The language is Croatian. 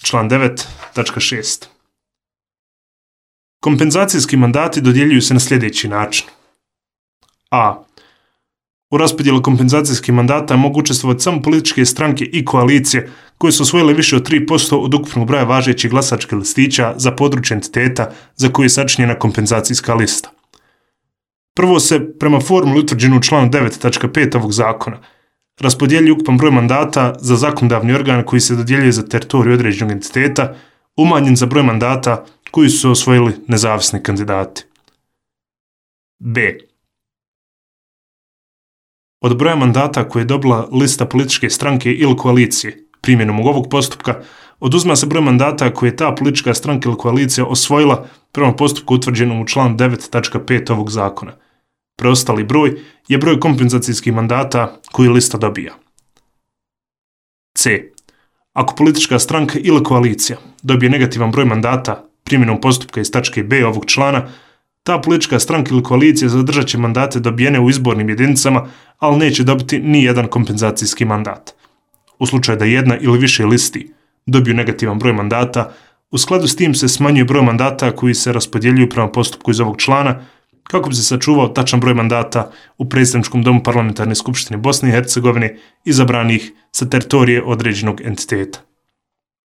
Član 9.6. Kompenzacijski mandati dodjeljuju se na sljedeći način. A. U raspodjelu kompenzacijskih mandata mogu učestvovati samo političke stranke i koalicije koje su osvojile više od 3% od ukupnog broja važećih glasačkih listića za područje entiteta za koje je sačinjena kompenzacijska lista. Prvo se, prema formuli utvrđenu u članu 9.5 ovog zakona, raspodjeljuje ukupan broj mandata za zakonodavni organ koji se dodjeljuje za teritoriju određenog entiteta, umanjen za broj mandata koji su osvojili nezavisni kandidati. B. Od broja mandata koje je dobila lista političke stranke ili koalicije primjenom ovog postupka, oduzima se broj mandata koje je ta politička stranka ili koalicija osvojila prema postupku utvrđenom u članu 9.5 ovog zakona. Preostali broj je broj kompenzacijskih mandata koji lista dobija. C. Ako politička stranka ili koalicija dobije negativan broj mandata primjenom postupka iz tačke B ovog člana, ta politička stranka ili koalicija zadržat će mandate dobijene u izbornim jedinicama, ali neće dobiti ni jedan kompenzacijski mandat. U slučaju da jedna ili više listi dobiju negativan broj mandata, u skladu s tim se smanjuje broj mandata koji se raspodjeljuju prema postupku iz ovog člana, kako bi se sačuvao tačan broj mandata u predstavničkom domu Parlamentarne skupštine Bosne i Hercegovine izabranih sa teritorije određenog entiteta.